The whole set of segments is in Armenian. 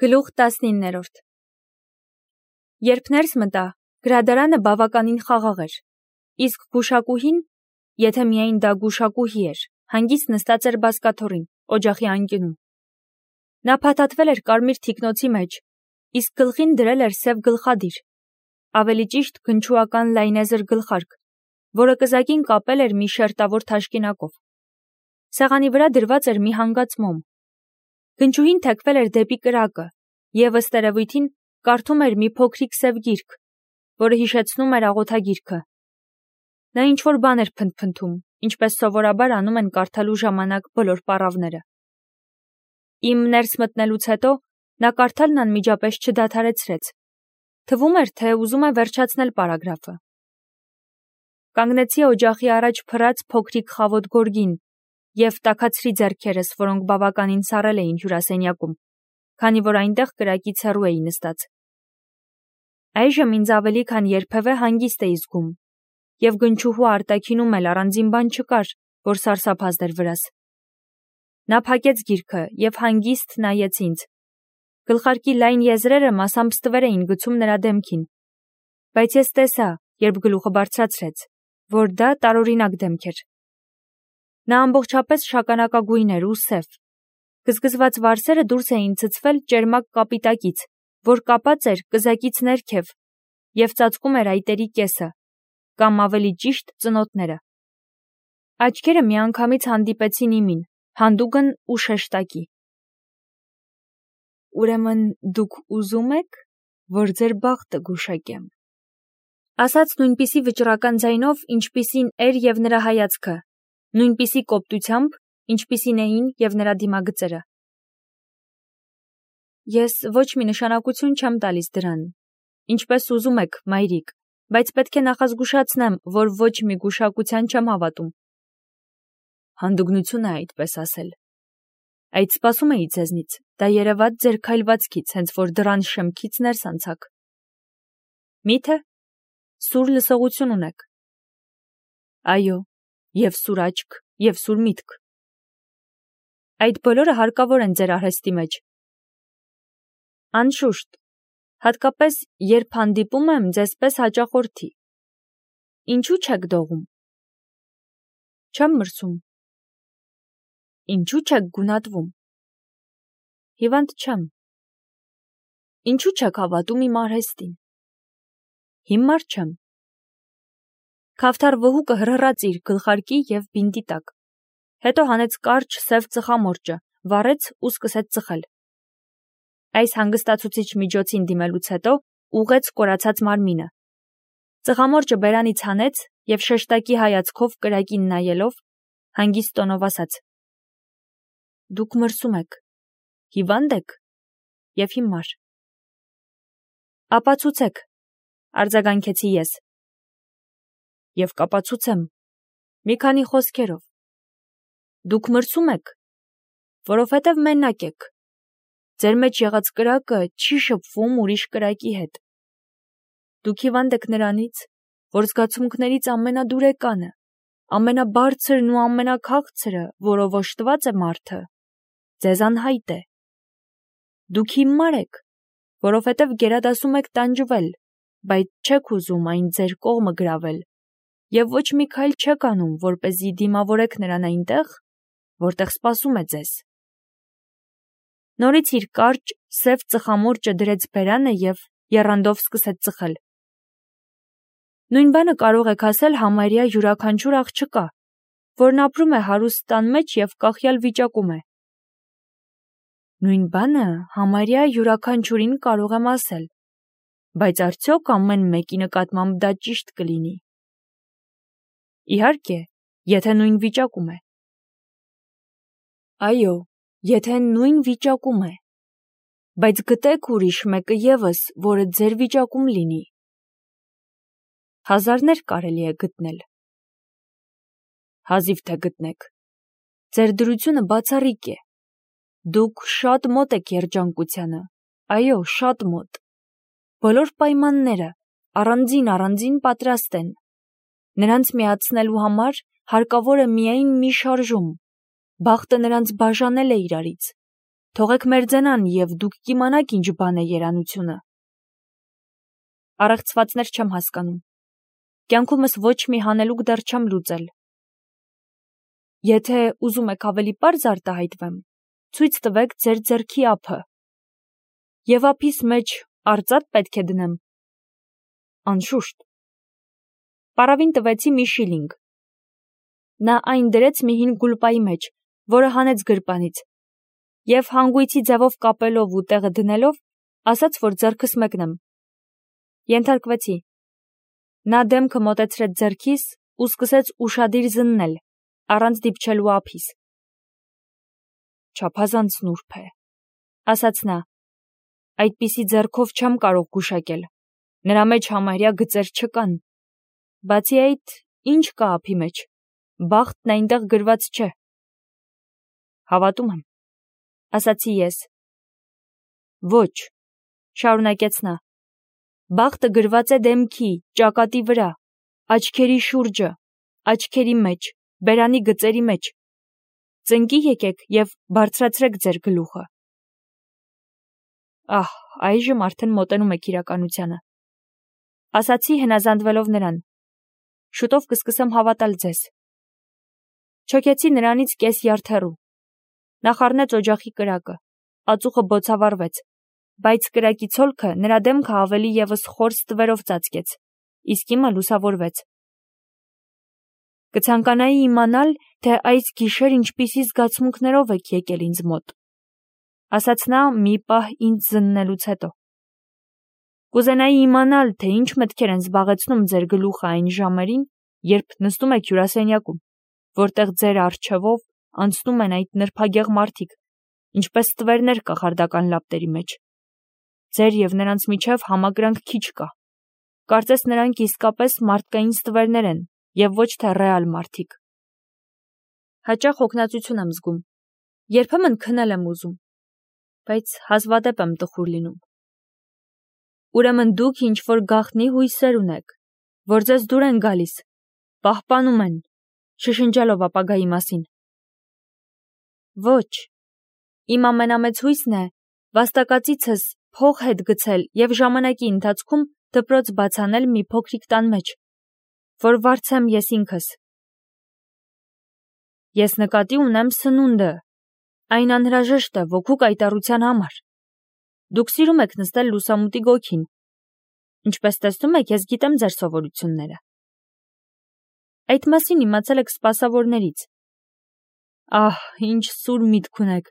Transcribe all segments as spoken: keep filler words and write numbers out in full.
Գլուխ տասնիններորդ Երբ ներս մտա, գրադարանը բավականին խաղաղ էր, իսկ գուշակուհին, եթե միայն դա գուշակուհի էր, հանգիստ նստած էր բազկաթոռին, օջախի անկյունում։ Նա փաթաթվել էր կարմիր թիկնոցի մեջ, իսկ գլխին դրել էր սև գլխադիր, ավելի ճիշտ գնչուական լայնեզր գլխարկ, որը կզակին կապել էր մի շերտավոր թաշկինակով։ Սեղանի վրա դրված էր մի հանգած մոմ։ Գնչուհին թեքվել էր դեպի կրակը և ըստ երևույթին կարդում էր մի փոքրիկ սև գիրք, որը հիշեցնում էր աղոթագիրքը։ Նա ինչ-որ բան էր փնթփնթում, ինչպես սովորաբար անում են կարդալու ժամանակ բոլոր պառավները։ Իմ ներս մտնելուց հետո նա կարդալն անմիջապես չդադարեցրեց։ Թվում էր, թե ուզում է վերջացնել պարագրաֆը։ Կանգնեցի օջախի առաջ փռած փոքրիկ խավոտ գորգին և տաքացրի ձեռքերս, որոնք բավականին սառել էին հյուրասենյակում, քանի որ այնտեղ կրակից հեռու էի նստած։ Այժմ ինձ ավելի քան երբևէ հանգիստ էի զգում, և գնչուհու արտաքինում էլ առանձին բան չկար, որ սարսափազդ էր վրաս։ Նա փակեց գիրքը և հանգիստ նայեց ինձ։ Գլխարկի լայն եզրերը մասամբ ստվեր էին գցում նրա դեմքին, բայց ես տեսա, երբ գլուխը բարձրացրեց, որ դա տարօրինակ դեմք էր։ Նա ամբողջապես շագանակագույն էր ու սև։ Գզգզված վարսերը դուրս էին ցցվել ճերմակ կապիտակից, որ կապած էր կզակից ներքև և ծածկում էր այտերի կեսը, կամ ավելի ճիշտ ծնոտները։ Աչքերը միանգամից հանդիպեցին իմին, հանդուգն ու շեշտակի։ Ուրեմն դուք ուզում եք, որ ձեր բախտը գուշակեմ, ասաց նույնպիսի վճռական ձայնով, ինչպիսին էր և նրա հայացքը, նույնպիսի կոպտությամբ, ինչպիսին էին և նրա դիմագծերը։ Ես ոչ մի նշանակություն չեմ տալիս դրան, ինչպես ուզում եք, մայրիկ, բայց պետք է նախազգուշացնեմ, որ ոչ մի գուշակության չեմ հավատում։ Հանդուգնություն է այդպես ասել։ Այդ սպասում էի ձեզնից, դա երևաց ձեր քայլվածքից, հենց որ դռան շեմքից ներս անցաք։ Մի՞թե սուր լսողություն ունեք։ Այո, և սուր աչք, և սուր միտք։ Այդ բոլորը հարկավոր են ձեր արհեստի մեջ։ Անշուշտ, հատկապես երբ հանդիպում եմ ձեզ պես հաճախորդի։ Ինչու չեք դողում։ Չեմ մրսում։ Ինչու չեք գունատվում։ Հիվանդ չեմ։ Ինչու չեք հավատում իմ արհեստին։ Հիմար չեմ։ Քավթար վհուկը հռհռաց իր գլխարկի և բինտի տակ, հետո հանեց կարճ սև ծխամորճը, վառեց ու սկսեց ծխել։ Այս հանգստացուցիչ միջոցին դիմելուց հետո ուղղեց կորացած մարմինը։ Ծխամորճը բերանից հանեց և շեշտակի հայացքով կրակին նայելով, հանգիստ տոնով ասաց. Դուք մրսում եք, հիվա՞նդ եք և հիմար։ Ապացուցեք, արձագանքեցի ես։ Եվ կապացուցեմ, մի քանի խոսքերով։ Դուք մրսում եք, որովհետև մենակ եք։ Ձեր մեջ եղած կրակը չի շփվում ուրիշ կրակի հետ։ Դուք հիվանդ եք նրանից, որ զգացմունքներից ամենադուրեկանը, ամենաբարձրն ու ամենաքաղցրը, որով օժտված է մարդը, ձեզ անհայտ է։ Դուք հիմար եք, որովհետև գերադասում եք տանջվել, բայց չեք ուզում այն ձեր կողմը գրավել, և ոչ մի քայլ չեք անում, որպեսզի դիմավորեք նրան այնտեղ, որտեղ սպասում է ձեզ։ Նորից իր կարճ, սև ծխամորճը դրեց բերանը և եռանդով սկսեց ծխել։ Նույն բանը կարող եք ասել համարյա յուրաքանչյուր աղջկա, որն ապրում է հարուստ տան մեջ և կախյալ վիճակում է։ Նույն բանը համարյա յուրաքանչյուրին կարող եմ ասել, բայց արդյոք ամեն մեկի նկատմամբ դա ճիշտ կլինի։ Իհարկե, եթե նույն վիճակում է։ Այո, եթե նույն վիճակում է, բայց գտեք ուրիշ մեկը ևս, որը ձեր վիճակում լինի։ Հազարներ կարելի է գտնել։ Հազիվ թե գտնեք։ Ձեր դրությունը բացառիկ է։ Դուք շատ մոտ եք երջանկությանը, այո, շատ մոտ։ Բոլոր պայմանները առանձին-առանձին պատրաստ են։ Նրանց միացնելու համար հարկավոր է միայն մի շարժում։ Բախտը նրանց բաժանել է իրարից։ թողեք մերձենան և դուք կիմանաք ինչ բան է երանությունը։ Առեղծվածներ չեմ հասկանում։ Կյանքումս ոչ մի հանելուկ դեռ չեմ լուծել։ Եթե ուզում եք ավելի պարզ արտահայտվեմ, ցույց տվեք ձեր ձեռքի ափը։ Եվ ափիս մեջ արծաթ պետք է դնեմ։ Անշուշտ։ Պարավին տվեցի մի շիլինգ։ Նա այն դրեց մի հին գուլպայի մեջ, որը հանեց գրպանից, և հանգույցի ձևով կապելով ու տեղը դնելով, ասաց, որ ձեռքս մեկնեմ։ Ենթարկվեցի։ Նա դեմքը մոտեցրեց ձեռքիս ու սկսեց ուշադիր զննել, առանց դիպչելու ափիս։ Չափազանց նուրբ է, ասաց նա, այդպիսի ձեռքով չեմ կարող գուշակել, նրա մեջ համարյա գծեր չկան, բացի այդ, ինչ կա ափի մեջ, բախտն այնտեղ գրված չէ։ Հավատում եմ, ասացի ես։ Ոչ, շարունակեց նա, բախտը գրված է դեմքի, ճակատի վրա, աչքերի շուրջը, աչքերի մեջ, բերանի գծերի մեջ։ Ծնկի եկեք և բարձրացրեք ձեր գլուխը։ Ահ, այժմ արդեն մոտենում եք իրականությանը, ասացի հնազանդվելով նրան։ Շուտով կսկսեմ հավատալ ձեզ։ Չոքեցի նրանից կես յարդ հեռու։ Նա խառնեց օջախի կրակը, ածուխը բոցավառվեց, բայց կրակի ցոլքը նրա դեմքը ավելի ևս խոր ստվերով ծածկեց, իսկ իմը լուսավորվեց։ Կցանկանայի իմանալ, թե այս գիշեր ինչպիսի զգացմունքներով եք եկել ինձ մոտ, ասաց նա մի պահ ինձ զննելուց հետո։ Կուզենայի իմանալ, թե ինչ մտքեր են զբաղեցնում ձեր գլուխը այն ժամերին, երբ նստում եք հյուրասենյակում, որտեղ ձեր առջևով անցնում են այդ նրբագեղ մարդիկ, ինչպես ստվերներ կախարդական լապտերի մեջ։ Ձեր և նրանց միջև համակրանք քիչ կա։ Կարծես նրանք իսկապես մարդկային ստվերներ են և ոչ թե ռեալ մարդիկ։ Հաճախ հոգնածություն եմ զգում։ Երբեմն քնել եմ ուզում, բայց հազվադեպ եմ տխուր լինում։ Ուրեմն դուք ինչ-որ գաղտնի հույսեր ունեք, որ ձեզ դուր են գալիս, պահպանում են, շշնջելով ապագայի մասին։ Ոչ, իմ ամենամեծ հույսն է վաստակածիցս փող հետ գցել և ժամանակի ընթացքում դպրոց բացանել մի փոքրիկ տան մեջ, որ վարձեմ ես ինքս։ Ես նկատի ունեմ սնունդը, այն անհրաժեշտ է ոգու կայտառության համար։ Դուք սիրում եք նստել լուսամուտի գոգին։ Ինչպես տեսնում եք, ես գիտեմ ձեր սովորությունները։ Այդ մասին իմացել եք սպասավորներից։ Ահ, ինչ սուր միտք ունեք։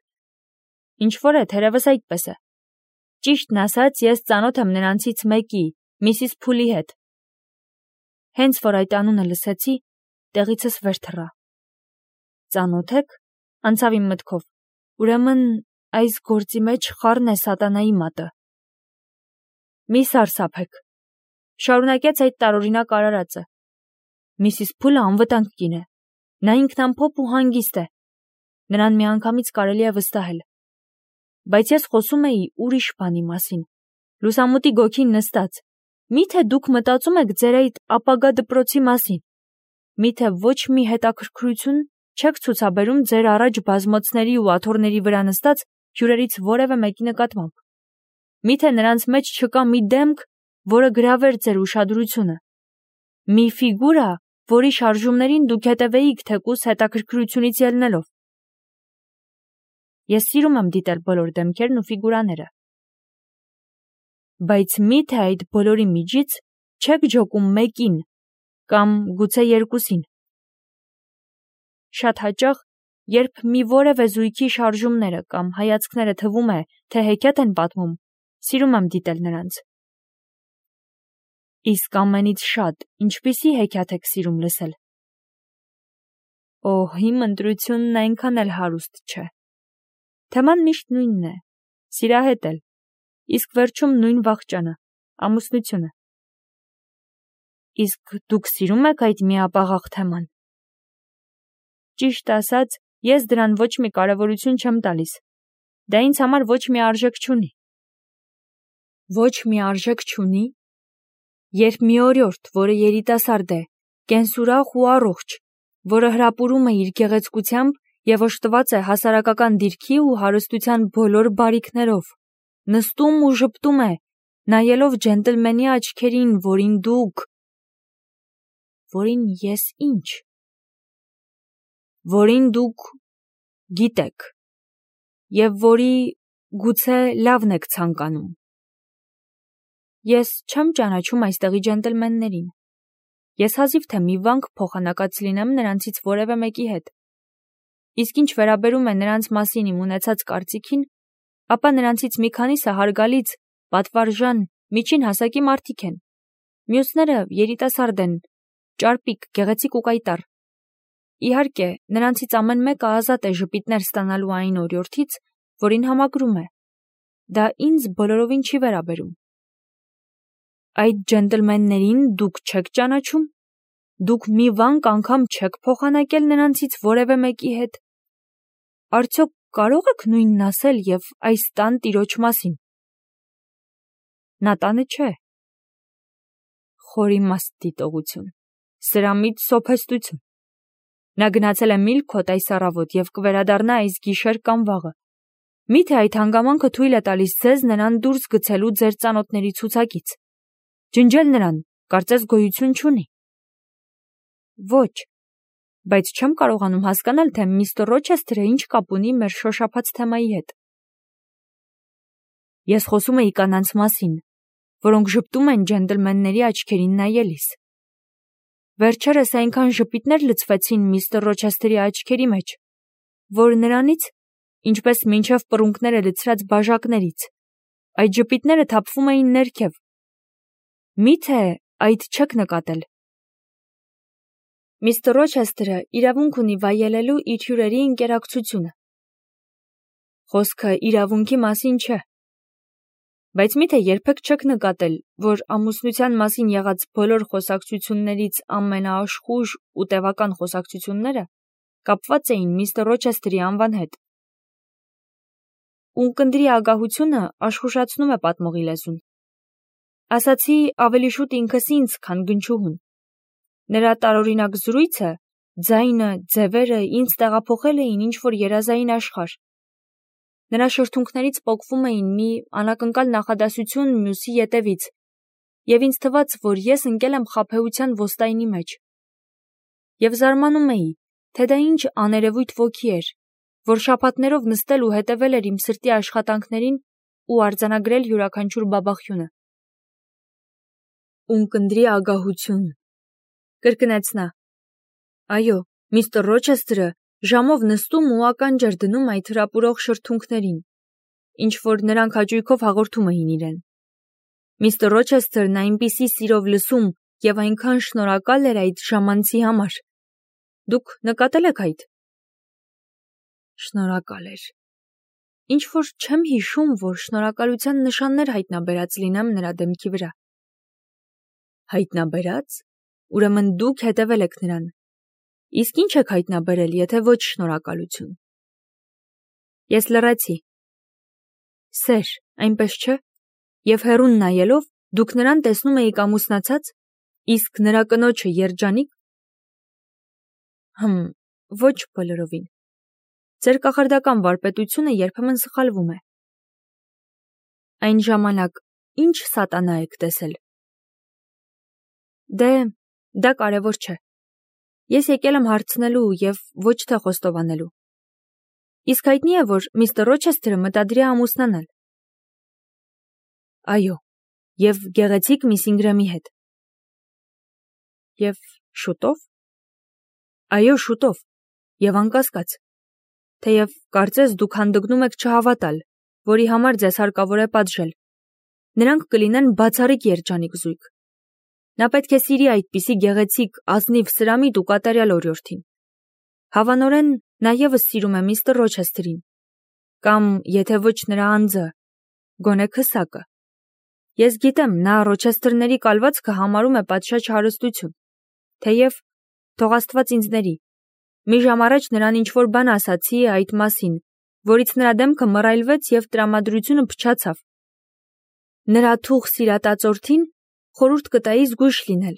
Ինչ-որ է, թերևս այդպես է։ Ճիշտն ասած, ես ծանոթ եմ նրանցից մեկի, Միսիս Փուլի հետ։ Հենց որ այդ անունը լսեցի, տեղիցս վեր թռա։ Ծանոթ եք, անցավ իմ մտքով։ Ուրեմն այս գործի մեջ խառն է սատանայի մատը։ Մի սարսափեք, շարունակեց այդ տարօրինակ արարածը։ Միսիս Փուլը անվտանգ կին է։ Նա ինքնամփոփ ու հանգիստ է։ Նրան միանգամից կարելի է վստահել։ Բայց ես խոսում էի ուրիշ բանի մասին։ Լուսամուտի գոգին նստած։ Միթե դուք մտածում եք ձեր այդ ապագա դպրոցի մասին։ Միթե ոչ մի հետաքրքրություն չեք ցուցաբերում ձեր առաջ բազմոցների ու աթոռների վրա նստած հյուրերից որևէ մեկի նկատմամբ։ Միթե նրանց մեջ չկա մի դեմք, որը գրավեր ձեր ուշադրությունը։ Մի ֆիգուրա, որի շարժումներին դուք հետևեիք թեկուզ հետաքրքրությունից ելնելով։ Ես սիրում եմ դիտել բոլոր դեմքերն ու ֆիգուրաները։ Բայց միթե այդ բոլորի միջից չեք ջոկում մեկին, կամ գուցե երկուսին։ Շատ հաճախ, երբ մի որևէ զույգի շարժումները կամ հայացքները թվում է, թե հեքիաթ են պատմում, սիրում եմ դիտել նրանց։ Իսկ ամենից շատ ինչպիսի հեքիաթ եք սիրում լսել։ Օհ, իմ ընտրությունն այնքան էլ հարուստ չէ։ Թեման միշտ նույնն է, սիրահետ էլ, իսկ վերջում նույն վախճանը, ամուսնությունը։ Իսկ դուք սիրում եք այդ միապաղաղ թեման։ Ճիշտ ասած, ես դրան ոչ մի կարևորություն չեմ տալիս։ Դա ինձ համար ոչ մի արժեք չունի։ Ոչ մի արժեք չունի, երբ մի օրիորդ, որը երիտասարդ է, կենսուրախ ու առողջ, որը հրապուրում է իր գեղեցկությամբ և օժտված է հասարակական դիրքի ու հարստության բոլոր բարիքներով, նստում ու ժպտում է, նայելով ջենտլմենի աչքերին, որին դուք… որին ես ինչ… որին դուք գիտեք, և որի գուցե լավն եք ցանկանում։ Ես չեմ ճանաչում այստեղի ջենտլմեններին։ Ես հազիվ թե մի վանք փոխանակած լինեմ նրանցից որևէ մեկի հետ։ Իսկ ինչ վերաբերում է նրանց մասին իմ ունեցած կարծիքին, ապա նրանցից մի քանիսը հարգալից, պատվարժան, միջին հասակի մարդիկ են։ Մյուսները երիտասարդ են, ճարպիկ, գեղեցիկ ու կայտառ։ Իհարկե, նրանցից ամեն մեկը ազատ է ժպիտներ ստանալու այն օրիորդից, որին համակրում է։ Դա ինձ բոլորովին չի վերաբերում։ Այդ ջենտլմեններին դուք չեք ճանաչում։ Դուք մի վանք անգամ չեք փոխանակել նրանցից որևէ մեկի հետ։ Արդյոք կարող եք նույնն ասել և այս տան տիրոջ մասին։ Նա տանը չէ։ Խորիմաստ դիտողություն, սրամիտ սոփեստություն։ Նա գնացել է Միլքոթ այս առավոտ և կվերադառնա այս գիշեր կամ վաղը։ Միթե այդ հանգամանքը թույլ է տալիս ձեզ նրան դուրս գցելու ձեր ծանոթների ցուցակից։ Ջնջել նրան, կարծես գոյություն չունի։ Ոչ, բայց չեմ կարողանում հասկանալ, թե միստր Ռոչեսթերը ինչ կապ ունի մեր շոշափած թեմայի հետ։ Ես խոսում էի կանանց մասին, որոնք ժպտում են ջենտլմենների աչքերին նայելիս։ Վերջերս այնքան ժպիտներ լցվեցին միստր Ռոչեսթերի աչքերի մեջ, որ նրանից, ինչպես մինչև պռունգները լցրած բաժակներից, այդ ժպիտները թափվում էին ներքև։ Միթե այդ չեք նկատել։ Միստր Ռոչեսթերը իրավունք ունի վայելելու իր հյուրերի ընկերակցությունը։ Խոսքը իրավունքի մասին չէ։ Բայց միթե երբեք չեք նկատել, որ ամուսնության մասին եղած բոլոր խոսակցություններից ամենաաշխույժ ու տևական խոսակցությունները կապված էին միստր Ռոչեսթերի անվան հետ։ Ունկնդրի ագահությունը աշխուժացնում է պատմողի լեզուն։ Ասացի ավելի շուտ ինքս ինձ, քան գնչուհուն։ Նրա տարօրինակ զրույցը, ձայնը, ձևերը ինձ տեղափոխել էին ինչ-որ երազային աշխարհ։ Նրա շրթունքներից պոկվում էին մի անակնկալ նախադասություն մյուսի ետևից, և ինձ թվաց, որ ես ընկել եմ խաբեության ոստայնի մեջ։ Եվ զարմանում էի, թե դա ինչ աներևույթ ոգի էր, որ շաբաթներով նստել ու հետևել էր իմ սրտի աշխատանքներին ու արձանագրել յուրաքանչյուր բաբախյունը։ Ունկնդրի ագահություն, կրկնեց նա։ Այո, միստր Ռոչեսթերը ժամով նստում ու ականջ էր դնում այդ հրապուրող շրթունքներին, ինչ որ նրանք հաճույքով հաղորդում էին իրեն։ Միստր Ռոչեսթերն այնպիսի սիրով լսում և այնքան շնորհակալ էր այդ ժամանցի համար։ Դուք նկատել եք այդ։ Շնորհակալ էր։ Ինչ որ չեմ հիշում, որ շնորհակալության նշաններ հայտնաբերած լինեմ նրա դեմքի վրա։ Հայտնաբերած։ Ուրեմն դուք հետևել եք նրան։ Իսկ ինչ եք հայտնաբերել, եթե ոչ շնորհակալություն։ Ես լռեցի։ Սեր, այնպես չէ։ Եվ հեռուն նայելով, դուք նրան տեսնում էիք ամուսնացած, իսկ նրա կնոջը երջանիկ։ Հմ, ոչ բոլորովին։ Ձեր կախարդական վարպետությունը երբեմն սխալվում է։ Այն ժամանակ ինչ սատանա եք տեսել։ Դե, դա կարևոր չէ։ Ես եկել եմ հարցնելու և ոչ թե խոստովանելու։ Իսկ հայտնի է, որ միստր Ռոչեսթերը մտադիր է ամուսնանալ։ Այո, և գեղեցիկ միս Ինգրամի հետ։ Եվ շուտո՞վ։ Այո, շուտով, և անկասկած։ Թեև կարծես դուք հանդգնում եք չհավատալ, որի համար ձեզ հարկավոր է պատժել։ Նրանք կլինեն բացառիկ երջանիկ զույգ։ Նա պետք է սիրի այդպիսի գեղեցիկ, ազնիվ, սրամիտ ու կատարյալ օրիորդին։ Հավանորեն նա ևս սիրում է միստր Ռոչեսթերին։ Կամ, եթե ոչ նրա անձը, գոնե քսակը։ Ես գիտեմ, նա Ռոչեսթերների կալվածքը համարում է պատշաճ հարստություն։ Թեև, թող Աստված ինձ ների, մի ժամ առաջ նրան ինչ-որ բան ասացի այդ մասին, որից նրա դեմքը մռայլվեց և տրամադրությունը փչացավ։ Նրա թուղ սիրատածորդին խորհուրդ կտայի զգույշ լինել։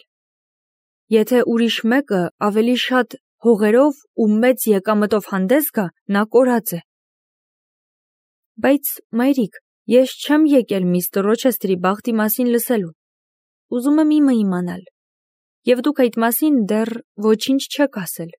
Եթե ուրիշ մեկը ավելի շատ հողերով ու մեծ եկամտով հանդես գա, նա կորած է։ Բայց, մայրիկ, ես չեմ եկել միստր Ռոչեսթերի բախտի մասին լսելու։ Ուզում եմ իմը իմանալ։ Եվ դուք այդ մասին դեռ ոչինչ չեք ասել։